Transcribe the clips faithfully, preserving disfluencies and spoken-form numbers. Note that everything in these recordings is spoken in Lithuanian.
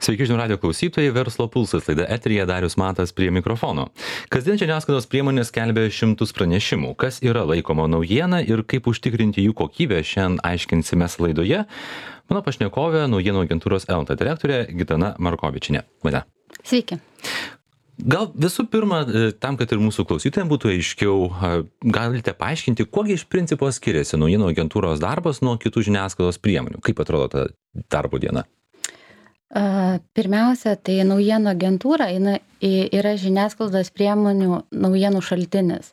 Sveiki žinių radio klausytojai, Verslo pulsas laida eteryje, Darius Matas prie mikrofono. Kasdien žiniasklaidos priemonės skelbia šimtus pranešimų, kas yra laikoma naujiena ir kaip užtikrinti jų kokybę, šiandien aiškinsimės laidoje. Mano pašnekovė, naujienų agentūros Elta direktorė Gitana Markovičienė. Mane. Sveiki. Gal visų pirma, tam, kad ir mūsų klausytojams būtų aiškiau, galite paaiškinti, kuogi iš principo skiriasi naujienų agentūros darbas nuo kitų žiniasklaidos priemonių? Kaip atrodo ta darbo diena? Pirmiausia, tai naujienų agentūra yra žiniasklaidos priemonių naujienų šaltinis.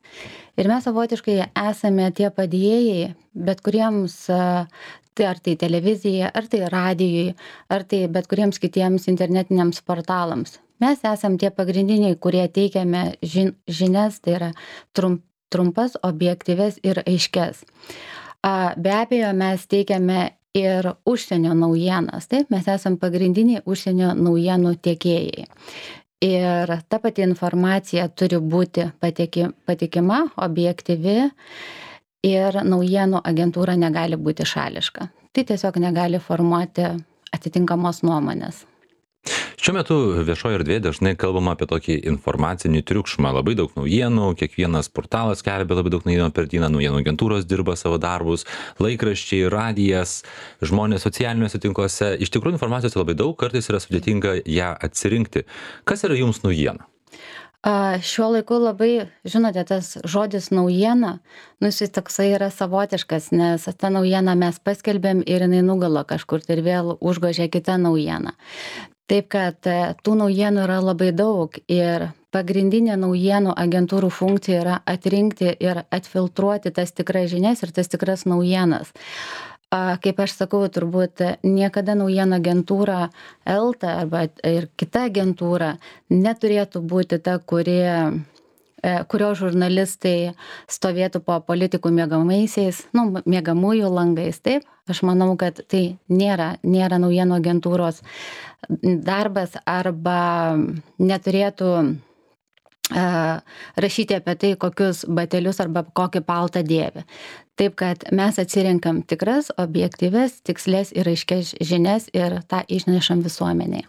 Ir mes savotiškai esame tie padėjėjai, bet kuriems, tai ar tai televizijai, ar tai radijui, ar tai bet kuriems kitiems internetiniams portalams. Mes esam tie pagrindiniai, kurie teikiame žinias, tai yra trump, trumpas, objektyves ir aiškes. Be abejo, mes teikiame ir užsienio naujienas. Taip, mes esam pagrindiniai užsienio naujienų tiekėjai. Ir ta pati informacija turi būti patiki, patikima, objektyvi ir naujienų agentūra negali būti šališka. Tai tiesiog negali formuoti atitinkamos nuomonės. Šiuo metu viešoje erdvėje dažnai kalbama apie tokį informacinį triukšmą. Labai daug naujienų, kiekvienas portalas skelbia labai daug naujienų per dieną, naujienų agentūros dirba savo darbus, laikraščiai, radijas, žmonės socialiniuose tinkluose. Iš tikrųjų informacijos labai daug, kartais yra sudėtinga ją atsirinkti. Kas yra jums naujiena? Šiuo laiku labai, žinote, tas žodis naujiena, nu jis toksai yra savotiškas, nes tą naujieną mes paskelbėm ir jinai nugalo kažkur ir vėl užgožė kitą naujieną. Taip, kad tų naujienų yra labai daug ir pagrindinė naujienų agentūrų funkcija yra atrinkti ir atfiltruoti tas tikras žinias ir tas tikras naujienas. Kaip aš sakau, turbūt niekada naujienų agentūra Elta arba ir kita agentūra neturėtų būti ta, kurie, kurio žurnalistai stovėtų po politikų miegamaisiais, nu, miegamųjų langais, taip. Aš manau, kad tai nėra, nėra naujienų agentūros darbas arba neturėtų rašyti apie tai, kokius batelius arba kokį paltą dėvi. Taip, kad mes atsirinkam tikras, objektyves, tikslės ir aiškias žinias ir tą išnešam visuomeniai.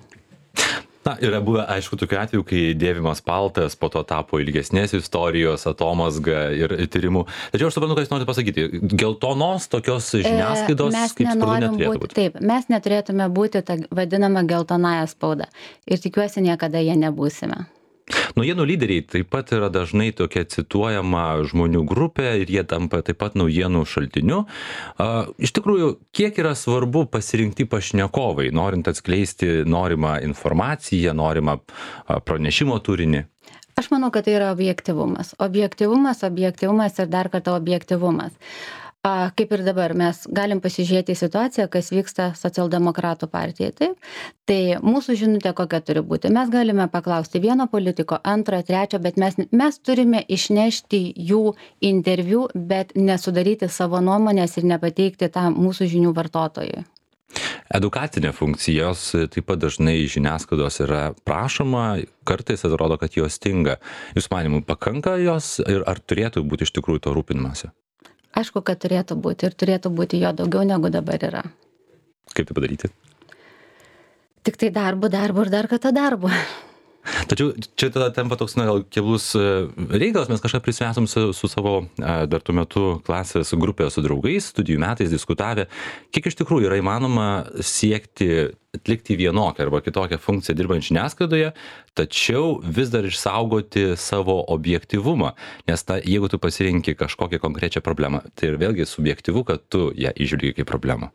Na, yra buvę, aišku, tokiu atveju, kai dėvimas paltas po to tapo ilgesnės istorijos, atomazga ir tyrimų. Tačiau aš suprantu, ką jūs norite pasakyti. Geltonos tokios žiniasklaidos, mes kaip spauda, neturėtų būti. būti. Taip, mes neturėtume būti tą vadinamą geltonąją spaudą. Ir tikiuosi, niekada jie nebūsime. Naujienų lyderiai taip pat yra dažnai tokia cituojama žmonių grupė ir jie tampa taip pat naujienų šaltiniu. Iš tikrųjų, kiek yra svarbu pasirinkti pašnekovai, norint atskleisti norimą informaciją, norimą pranešimo turinį? Aš manau, kad tai yra objektyvumas. Objektyvumas, objektyvumas ir dar kartą objektyvumas. Kaip ir dabar mes galim pasižiūrėti į situaciją, kas vyksta socialdemokratų partijai. Taip? Tai mūsų žinutė kokia turi būti. Mes galime paklausti vieno politiko, antro, trečio, bet mes, mes turime išnešti jų interviu, bet nesudaryti savo nuomonės ir nepateikti tą mūsų žinių vartotojui. Edukacinė funkcijos taip pat dažnai žiniasklaidos yra prašoma, kartais atrodo, kad jos stinga. Jūs manimų, pakanka jos ir ar turėtų būti iš tikrųjų to rūpinimąsi? Aišku, kad turėtų būti ir turėtų būti jo daugiau negu dabar yra. Kaip tai padaryti? Tik tai darbu, darbu ir dar kartą darbu. Tačiau čia tada tampa toks, na, gal keblus reikalas, mes kažką prisimesam su, su savo dar tuo metu klasės grupė su draugais, studijų metais diskutavę, kiek iš tikrųjų yra įmanoma siekti atlikti vienokią arba kitokią funkciją dirbant žiniasklaidoje, tačiau vis dar išsaugoti savo objektyvumą, nes ta, jeigu tu pasirinki kažkokią konkrečią problemą, tai ir vėlgi subjektyvu, kad tu ją įžvelgi kaip problemą.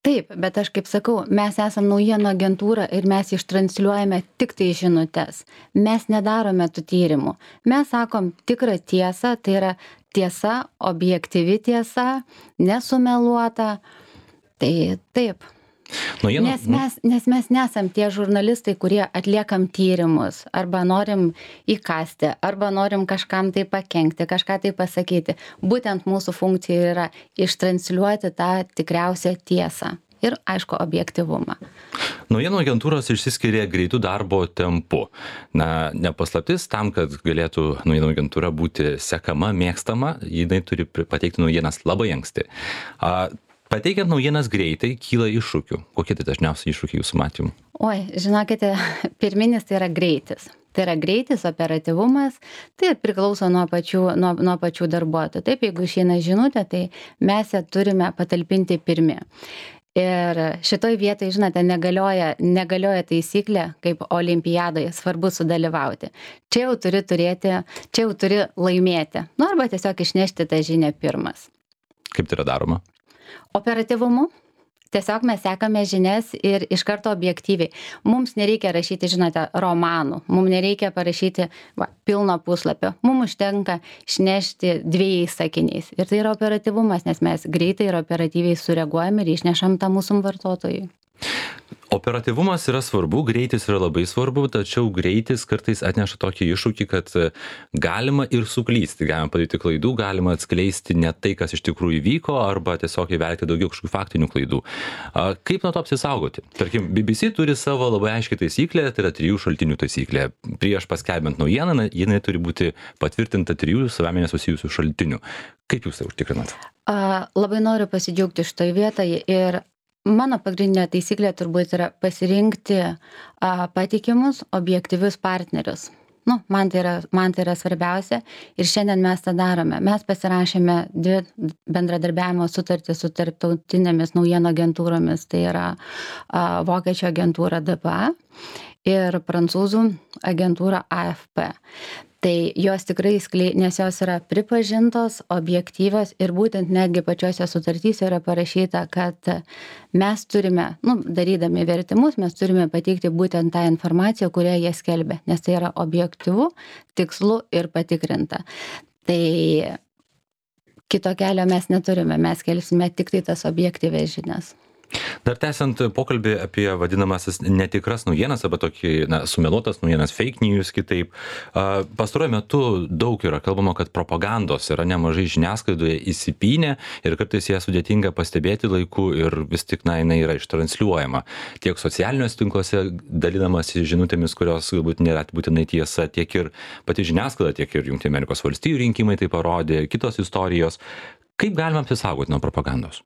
Taip, bet aš kaip sakau, mes esam naujienų agentūra ir mes ištransliuojame tik tai žinutes. Mes nedarome tų tyrimų. Mes sakom tikrą tiesą, tai yra tiesa, objektyvi tiesa, nesumeluota. Tai taip. Naujienų, nes, mes, nes mes nesam tie žurnalistai, kurie atliekam tyrimus, arba norim įkasti, arba norim kažkam tai pakenkti, kažką tai pasakyti. Būtent mūsų funkcija yra ištransliuoti tą tikriausią tiesą ir, aišku, objektyvumą. Naujienų agentūros išsiskiria greitų darbo tempu. Na, nepaslaptis, tam, kad galėtų naujienų agentūra būti sekama, mėgstama, jinai turi pateikti naujienas labai anksti. A, Pateikiant naujienas greitai, kyla iššūkių. Kokie tai dažniausiai iššūkiai jūsų matymu? Oi, žinokite, pirminis tai yra greitis. Tai yra greitis, operatyvumas, tai priklauso nuo pačių, nuo, nuo pačių darbuotojų. Taip, jeigu išeina žinutė, tai mes ją turime patalpinti pirmi. Ir šitoj vietoj, žinote, negalioja, negalioja taisyklė, kaip olimpiadoje, svarbu sudalyvauti. Čia jau turi turėti, čia jau turi laimėti. Nu, arba tiesiog išnešti tą žinią pirmas. Kaip tai yra daroma? Operatyvumu. Tiesiog mes sekame žinias ir iš karto objektyviai. Mums nereikia rašyti, žinote, romanų. Mums nereikia parašyti va, pilno puslapio. Mums užtenka išnešti dviejais sakiniais. Ir tai yra operatyvumas, nes mes greitai ir operatyviai sureaguojame ir išnešam tą mūsų vartotojui. Operatyvumas yra svarbu, greitis yra labai svarbu, tačiau greitis kartais atneša tokį iššūkį, kad galima ir suklysti, galima padaryti klaidų, galima atskleisti ne tai, kas iš tikrųjų įvyko, arba tiesiog įvelti daugiau kažkokių faktinių klaidų. Kaip nuo to apsisaugoti? Tarkim, B B C turi savo labai aiškiai taisyklę, tai yra trijų šaltinių taisyklė. Prieš paskelbiant naujieną, jinai turi būti patvirtinta trijų savame nesusijusių šaltinių. Kaip jūs tai užtikrinat? A, labai noriu pasidžiaugti šitoj vietoje ir mano pagrindinė taisyklė turbūt yra pasirinkti a, patikimus, objektyvius partnerius. Nu, man tai yra, man tai yra svarbiausia ir šiandien mes tą darome. Mes pasirašėme dvi bendradarbiavimo sutartys su tarptautinėmis naujienų agentūromis, tai yra a, vokiečių agentūra D P A ir prancūzų agentūra A F P. Tai jos tikrai sklei, nes jos yra pripažintos, objektyvios ir būtent netgi pačiose sutartyse yra parašyta, kad mes turime, nu, darydami vertimus, mes turime pateikti būtent tą informaciją, kurią jie skelbia, nes tai yra objektyvu, tikslu ir patikrinta. Tai kito kelio mes neturime, mes skelbsime tik tai tas objektyvias žinias. Dar tęsiant pokalbį apie vadinamasis netikras naujienas, arba tokį, na, sumeluotas naujienas, fake news kitaip. Pastaruoju metu daug yra kalbama, kad propagandos yra nemažai žiniasklaidoje įsipynę ir kartais ją sudėtinga pastebėti laiku ir vis tik, na, jinai yra ištransliuojama. Tiek socialiniuose tinkluose dalinamasi žinutėmis, kurios galbūt nėra būtinai tiesa, tiek ir pati žiniasklaida, tiek ir Jungtinių Amerikos valstijų rinkimai tai parodė, kitos istorijos. Kaip galima apsisaugoti nuo propagandos?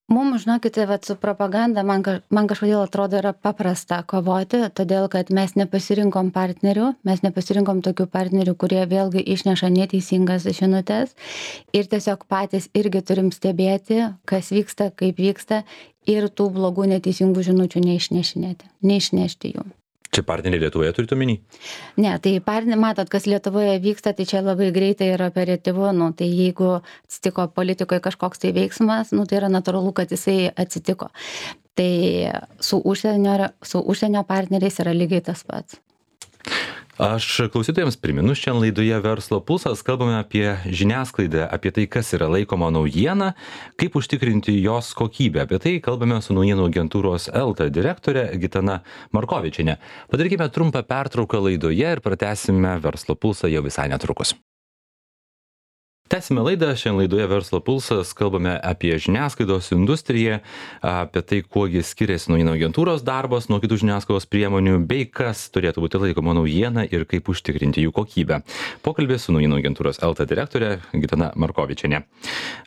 Mums, žinokite, vat, su propaganda man, man kažkodėl atrodo yra paprasta kovoti, todėl kad mes nepasirinkom partnerių, mes nepasirinkom tokių partnerių, kurie vėlgi išneša neteisingas žinutes ir tiesiog patys irgi turim stebėti, kas vyksta, kaip vyksta ir tų blogų neteisingų žinučių neišnešinėti, neišnešti jų. Čia partneriai Lietuvoje turite omeny? Ne, tai partneriai, matot, kas Lietuvoje vyksta, tai čia labai greitai ir operatyvu, nu, tai jeigu atsitiko politikoje kažkoks tai veiksmas, nu, tai yra natūralu, kad jisai atsitiko. Tai su užsienio, su užsienio partneriais yra lygiai tas pats. Aš klausytojams priminu, šiandien laidoje Verslo pulsas kalbame apie žiniasklaidą, apie tai, kas yra laikoma naujiena, kaip užtikrinti jos kokybę. Apie tai kalbame su naujienų agentūros Elta direktorė Gitana Markovičienė. Padarykime trumpą pertrauką laidoje ir pratęsime Verslo pulsą jau visai netrukus. Tęsime laidą, šiandien laidoje Verslo pulsas kalbame apie žiniasklaidos industriją, apie tai, kuogi skiriasi naujienų agentūros darbas nuo kitų žiniasklaidos priemonių, bei kas turėtų būti laikoma naujiena ir kaip užtikrinti jų kokybę. Pokalbė su naujienų agentūros Elta direktorė Gitana Markovičienė.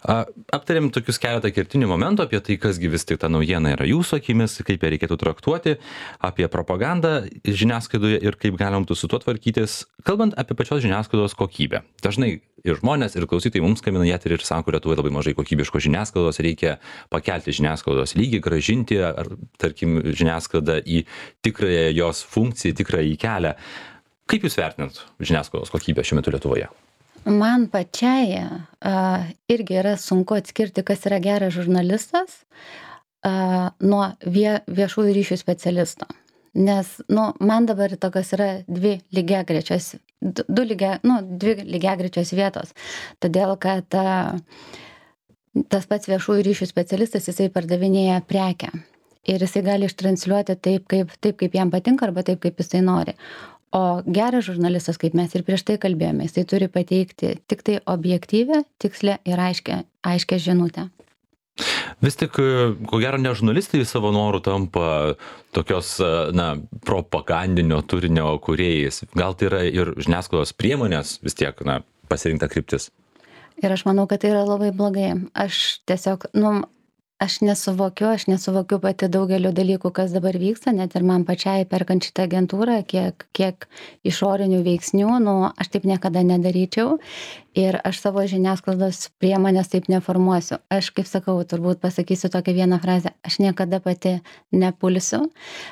Aptarėm tokius keletą kertinių momentų apie tai, kasgi vis tik ta naujiena yra jūsų akimis, kaip ją reikėtų traktuoti, apie propagandą žiniasklaidoje ir kaip galima būtų su tuo tvarkytis, kalbant apie pačios žiniasklaidos kokybę. Dažnai ir žmonės, ir klausytojai mums skambina ją ir sako, Lietuvoje labai mažai kokybiškos žiniasklaidos, reikia pakelti žiniasklaidos lygį, grąžinti, ar, tarkim, žiniasklaidą į tikrąją jos funkciją, tikrąjį kelią. Kaip jūs vertinat žiniasklaidos kokybę šiuo metu Lietuvoje? Man pačiai uh, irgi yra sunku atskirti, kas yra geras žurnalistas uh, nuo vie, viešųjų ryšių specialisto. Nes, nu, man dabar tokios yra dvi lygiagrečios, du, du lygia, nu, dvi lygiagrečios vietos. Todėl, kad a, tas pats viešųjų ryšių specialistas, jisai pardavinėja prekę. Ir jisai gali ištransliuoti taip, kaip, taip, kaip jam patinka, arba taip, kaip jisai nori. O geras žurnalistas, kaip mes ir prieš tai kalbėjome, jisai turi pateikti tik tai objektyvę, tikslę ir aiškę, aiškę žinutę. Vis tik, ko gero, ne žurnalistai savo norų tampa tokios, na, propagandinio turinio kūrėjais. Gal tai yra ir žiniasklaidos priemonės vis tiek, na, pasirinkta kryptis? Ir aš manau, kad tai yra labai blogai. Aš tiesiog, nu, aš nesuvokiu aš nesuvokiu pati daugelio dalykų, kas dabar vyksta, net ir man pačiai perkant šitą agentūrą, kiek, kiek išorinių veiksnių, nu, aš taip niekada nedaryčiau ir aš savo žiniasklaidos priemonės taip neformuosiu. Aš, kaip sakau, turbūt pasakysiu tokią vieną frazę, aš niekada pati nepulsiu,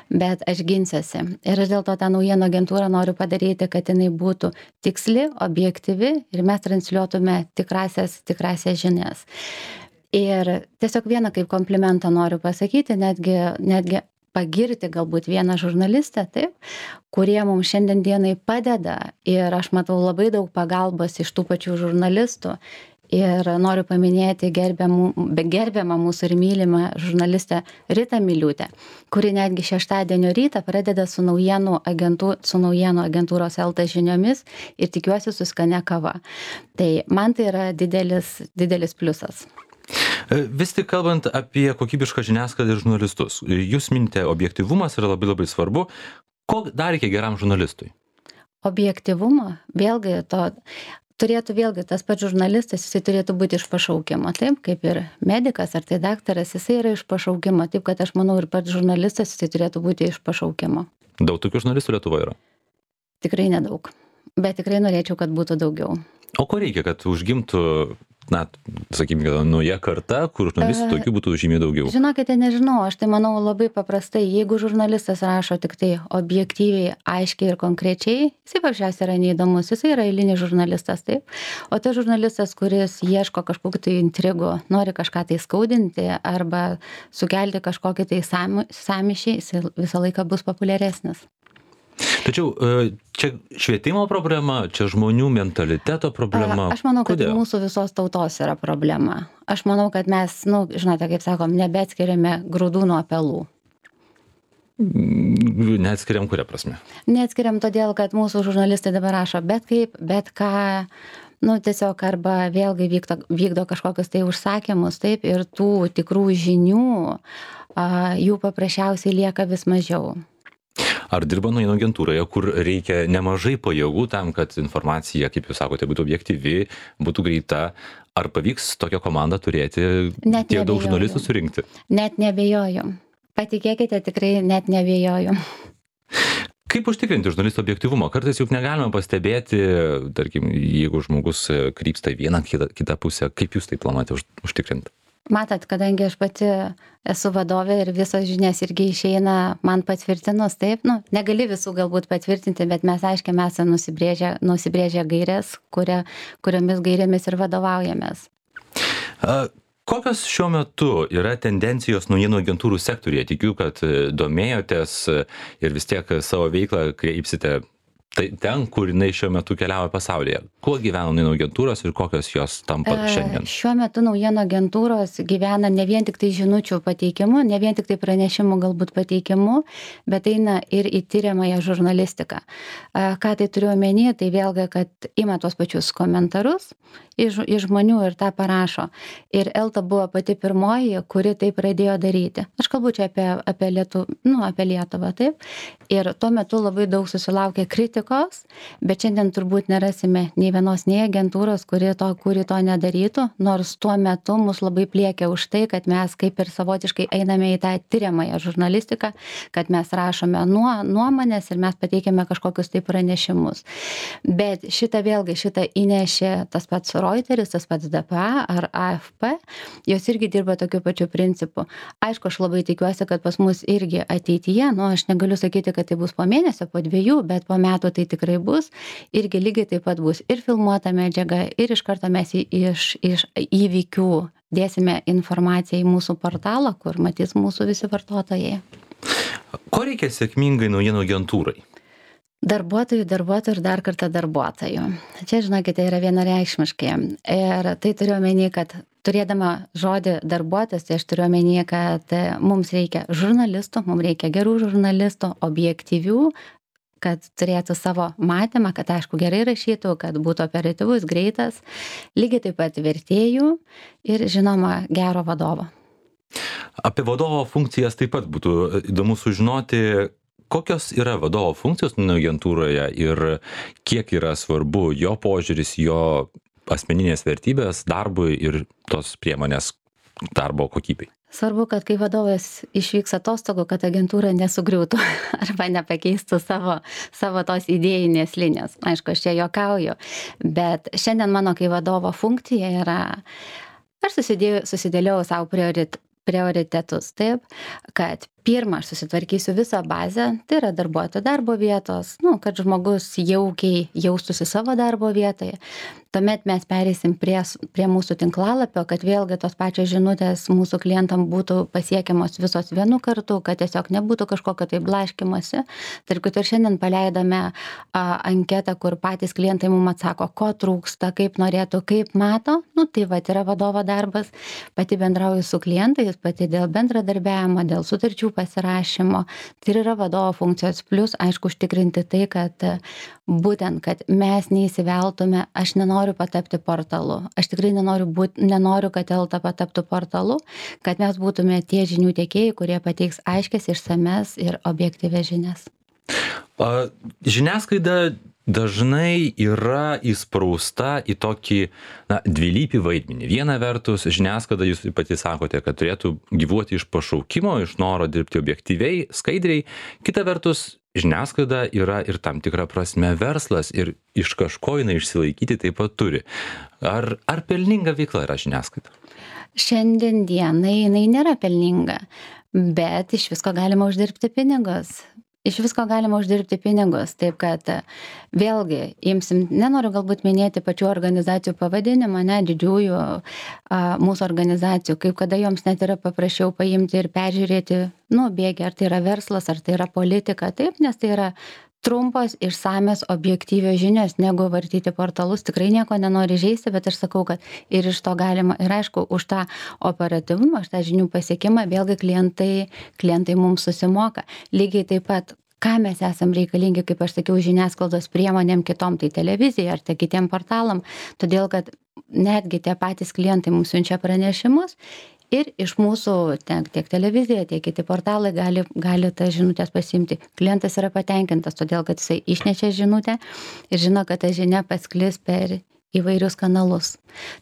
bet aš ginsiuosi. Ir aš dėl to tą naujienų agentūrą noriu padaryti, kad jinai būtų tiksli, objektyvi ir mes transliuotume tikrasias, tikrasias žinias. Ir tiesiog vieną kaip komplimentą noriu pasakyti, netgi, netgi pagirti galbūt vieną žurnalistę, taip, kurie mums šiandien dienai padeda ir aš matau labai daug pagalbos iš tų pačių žurnalistų. Ir noriu paminėti gerbiamų, gerbiamą mūsų ir mylimą žurnalistę Ritą Miliūtę, kuri netgi šeštadienio rytą pradeda su naujienų, agentų, su naujienų agentūros Elta žiniomis ir tikiuosi su skania kava. Tai man tai yra didelis, didelis pliusas. Vis tik kalbant apie kokybišką žiniasklaidą ir žurnalistus, jūs minite, objektyvumas yra labai labai svarbu. Ko dar reikia geram žurnalistui? Objektyvumo, vėlgi to, turėtų vėlgi tas pats žurnalistas, jisai turėtų būti iš pašaukimo, taip, kaip ir medikas ar tai daktaras, jisai yra iš pašaukimo, taip, kad aš manau ir pats žurnalistas, jisai turėtų būti iš pašaukimo. Daug tokių žurnalistų Lietuvoje yra? Tikrai nedaug, bet tikrai norėčiau, kad būtų daugiau. O ko reikia, kad užgimtų, na, sakykime, nauja karta, kur žurnalistų tokių būtų žymiai daugiau? Žinokite, nežinau, aš tai manau labai paprastai, jeigu žurnalistas rašo tik tai objektyviai, aiškiai ir konkrečiai, jisai paprasčiausiai yra neįdomus, jisai yra eilinis žurnalistas, taip. O tas žurnalistas, kuris ieško kažkokių tai intrigų, nori kažką tai skaudinti arba sukelti kažkokį tai sąmyšį, jisai visą laiką bus populiaresnis. Tačiau čia švietimo problema, čia žmonių mentaliteto problema. Aš manau, kad Kodėl? Mūsų visos tautos yra problema. Aš manau, kad mes, nu, žinote, kaip sakom, nebeatskiriame grūdų nuo pelų. Neatskiriam kuria prasme? Neatskiriam todėl, kad mūsų žurnalistai dabar rašo bet kaip, bet ką, nu, tiesiog arba vėlgi vykdo, vykdo kažkokius tai užsakymus, taip, ir tų tikrų žinių, a, jų paprasčiausiai lieka vis mažiau. Ar dirba naujienų agentūroje, kur reikia nemažai pajėgų tam, kad informacija, kaip jūs sakote, būtų objektyvi, būtų greita? Ar pavyks tokią komandą turėti, Net tiek daug neabejoju. žurnalistų surinkti? Net neabejoju. Patikėkite, tikrai net neabejoju. Kaip užtikrinti žurnalistų objektyvumą? Kartais juk negalime pastebėti, tarkim, jeigu žmogus krypsta į vieną kitą, kitą pusę, kaip jūs tai planuojate už, užtikrinti? Matot, kadangi aš pati esu vadovė ir visos žinias irgi išeina man patvirtinus, taip, nu, negali visų galbūt patvirtinti, bet mes aiškiai mes esame nusibrėžę, nusibrėžę gairės, kuria, kuriomis gairėmis ir vadovaujamės. A, kokios šiuo metu yra tendencijos naujienų agentūrų sektoriuje? Tikiu, kad domėjotės ir vis tiek savo veiklą kreipsite tai ten, kur jinai šiuo metu keliauja pasaulyje. Kuo gyvena naujienų agentūros ir kokios jos tampa šiandien? Šiuo metu naujienų agentūros gyvena ne vien tik tai žinučių pateikimu, ne vien tik tai pranešimų galbūt pateikimu, bet eina ir į tyriamąją žurnalistiką. Ką tai turiu omeny, tai vėlgi, kad ima tuos pačius komentarus iš, iš žmonių ir tą parašo. Ir Elta buvo pati pirmoji, kuri tai pradėjo daryti. Aš kalbu čia apie, apie, Lietu, nu, apie Lietuvą, taip. Ir tuo metu labai daug susilaukė kritikos, bet šiandien turbūt nerasime nei vienos, nei agentūros, kuri to, kuri to nedarytų, nors tuo metu mus labai pliekia už tai, kad mes kaip ir savotiškai einame į tą tyriamąją žurnalistiką, kad mes rašome nuo, nuomonės ir mes pateikiame kažkokius tai pranešimus. Bet šitą vėlgi, šitą įnešė tas pats Reuteris, tas pats D P A ar A F P, jos irgi dirba tokiu pačiu principu. Aišku, aš labai tikiuosi, kad pas mus irgi ateityje, nu, aš negaliu sakyti, kad tai bus po mėnesio, po dviejų, bet po metų tai tikrai bus, irgi lygiai taip pat bus ir filmuota medžiaga, ir iš karto mes iš, iš įvykių dėsime informaciją į mūsų portalą, kur matys mūsų visi vartotojai. Ko reikia sėkmingai naujienų agentūrai? Darbuotojų, darbuotojų ir dar kartą darbuotojų. Čia, žinokite, yra vienareikšmiškai. Ir tai turiu omeny, kad turėdama žodį darbuotojas, tai aš turiu omeny, kad mums reikia žurnalistų, mums reikia gerų žurnalistų, objektyvių, kad turėtų savo matymą, kad aišku gerai rašytų, kad būtų operatyvus, greitas, lygiai taip pat vertėjų ir žinoma gero vadovo. Apie vadovo funkcijas taip pat būtų įdomu sužinoti, kokios yra vadovo funkcijos agentūroje ir kiek yra svarbu jo požiūris, jo asmeninės vertybės darbui ir tos priemonės darbo kokybei. Svarbu, kad kai vadovas išvyks atostogų, kad agentūra nesugriūtų arba nepakeistų savo, savo tos idėjinės linijos. Aišku, aš čia juokauju, bet šiandien mano kaip vadovo funkcija yra, aš susidėjau, susidėliau savo priorit, prioritetus taip, kad pirmą aš susitvarkysiu visą bazę, tai yra darbuotojų darbo vietos, nu, kad žmogus jaukiai jaustųsi savo darbo vietoje. Tuomet mes pereisim prie, prie mūsų tinklalapio, kad vėlgi tos pačios žinutės mūsų klientam būtų pasiekiamos visos vienu kartu, kad tiesiog nebūtų kažkokio tai blaškimasi. Tarp kitų ir šiandien paleidome a, anketą, kur patys klientai mums atsako, ko trūksta, kaip norėtų, kaip mato. Nu, tai va, yra vadovo darbas, pati bendrauju su klientais, pati dėl bendradarbiavimo, dėl sutarčių pasirašymo. Tai yra vadovo funkcijos, plus, aišku, užtikrinti tai, kad būtent, kad mes neįsiveltume, aš nenoriu patapti portalu. Aš tikrai nenoriu, būt, nenoriu kad Elta pataptų portalu, kad mes būtume tie žinių tiekėjai, kurie pateiks aiškias, išsames ir objektyvias žinias. A, žiniasklaida dažnai yra įsprausta į tokį na, dvilypį vaidmenį. Viena vertus, žiniasklaida, jūs pati sakote, kad turėtų gyvuoti iš pašaukimo, iš noro dirbti objektyviai, skaidriai. Kita vertus, žiniasklaida yra ir tam tikra prasme verslas ir iš kažko jinai išsilaikyti taip pat turi. Ar, ar pelninga veikla yra žiniasklaida? Šiandien dienai jinai nėra pelninga, bet iš visko galima uždirbti pinigus. Iš visko galima uždirbti pinigus, taip kad vėlgi, imsim, nenoriu galbūt minėti pačių organizacijų pavadinimą, ne, didžiųjų a, mūsų organizacijų, kaip kada joms net yra paprasčiau paimti ir peržiūrėti, nu, bėgi, ar tai yra verslas, ar tai yra politika, taip, nes tai yra trumpos, išsamios, objektyvios žinios, negu vartyti portalus. Tikrai nieko nenori žaisti, bet aš sakau, kad ir iš to galima, ir aišku, už tą operatyvumą, už tą žinių pasiekimą, vėlgi klientai, klientai mums susimoka. Lygiai taip pat, ką mes esam reikalingi, kaip aš sakiau, žiniasklaidos priemonėm kitom, tai televizijai ar tai kitiem portalam, todėl kad netgi tie patys klientai mums siunčia pranešimus. Ir iš mūsų tiek, tiek televizija, tiek kiti portalai gali, gali tas žinutės pasimti. Klientas yra patenkintas, todėl kad jisai išnešė žinutę ir žino, kad ta žinia pasklis per įvairius kanalus.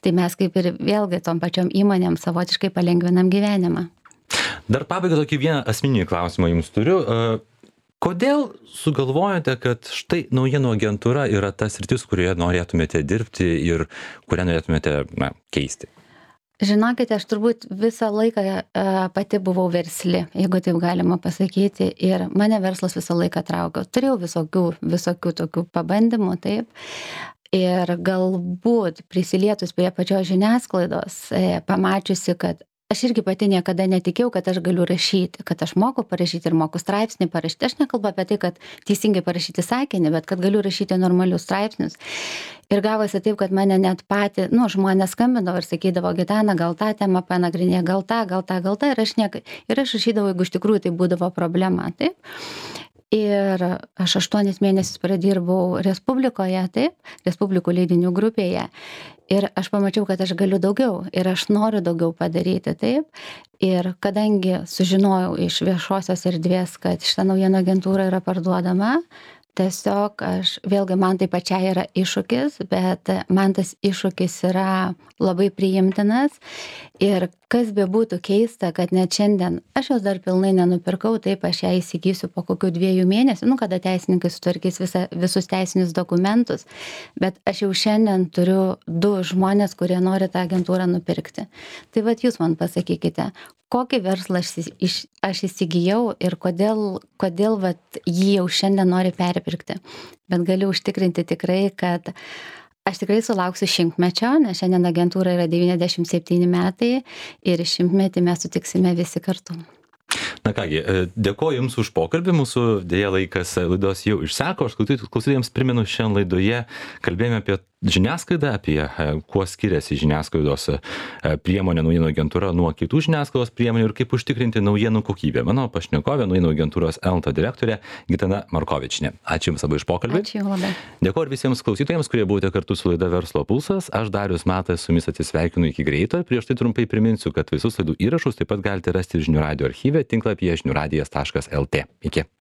Tai mes kaip ir vėlgi tom pačiom įmonėm savotiškai palengvinam gyvenimą. Dar pabaigai tokį vieną asmeninį klausimą jums turiu. Kodėl sugalvojote, kad štai naujienų agentūra yra tas sritis, kurioje norėtumėte dirbti ir kurią norėtumėte na, keisti? Žinokite, aš turbūt visą laiką uh, pati buvau versli, jeigu taip galima pasakyti, ir mane verslas visą laiką traukė. Turėjau visokių, visokių tokių pabandymų, taip. Ir galbūt prisilietus prie pačios žiniasklaidos, e, pamačiusi, kad aš irgi pati niekada netikėjau, kad aš galiu rašyti, kad aš moku parašyti ir moku straipsnį parašyti. Aš nekalbu apie tai, kad teisingai parašyti sakinį, bet kad galiu rašyti normalius straipsnius. Ir gavosi taip, kad mane net pati, nu, žmonės skambindavo ir sakydavo, Gitana, gal tą temą panagrinė, gal tą, gal tą, gal tą. Ir aš, niek... ir aš rašydavau, jeigu iš tikrųjų tai būdavo problema, taip. Ir aš aštuonis mėnesius pradirbau Respublikoje, taip, Respublikų leidinių grupėje. Ir aš pamačiau, kad aš galiu daugiau ir aš noriu daugiau padaryti, taip. Ir kadangi sužinojau iš viešosios erdvės, kad šita naujienų agentūra yra parduodama, tiesiog aš, vėlgi man tai pačiai yra iššūkis, bet man tas iššūkis yra labai priimtinas. Ir kas be būtų keista, kad net šiandien aš jos dar pilnai nenupirkau, taip aš ją įsigysiu po kokių dviejų mėnesių, nu kada teisininkai sutvarkys visa, visus teisinius dokumentus, bet aš jau šiandien turiu du žmonės, kurie nori tą agentūrą nupirkti. Tai vat jūs man pasakykite, kokį verslą aš, iš, aš įsigijau ir kodėl, kodėl vat jį jau šiandien nori perpirkti. Bet galiu užtikrinti tikrai, kad aš tikrai sulauksiu šimtmečio, nes šiandien agentūra yra devyniasdešimt septyni metai ir šimtmetį mes sutiksime visi kartu. Na kągi, dėkoju Jums už pokalbį, mūsų dėja laikas laidos jau išseko, aš klausytojams primenu, šiandien laidoje kalbėjome apie žiniasklaidą, apie kuo skiriasi žiniasklaidos priemonė naujienų agentūra nuo kitų žiniasklaidos priemonių ir kaip užtikrinti naujienų kokybę. Mano pašnekovė naujienų agentūros Elta direktorė Gitana Markovičienė. Ačiū Jums labai už pokalbį. Ačiū labai. Dėkoju ir visiems klausytojams, kurie buvote kartu su laida Verslo pulsas. Aš Darius Matas su Jumis atsisveikinu iki greito. Prieš tai trumpai priminsiu, kad visus laidų įrašus taip pat galite rasti žinių radijo archyve tinklapyje žinių radijas taškas lt. Iki.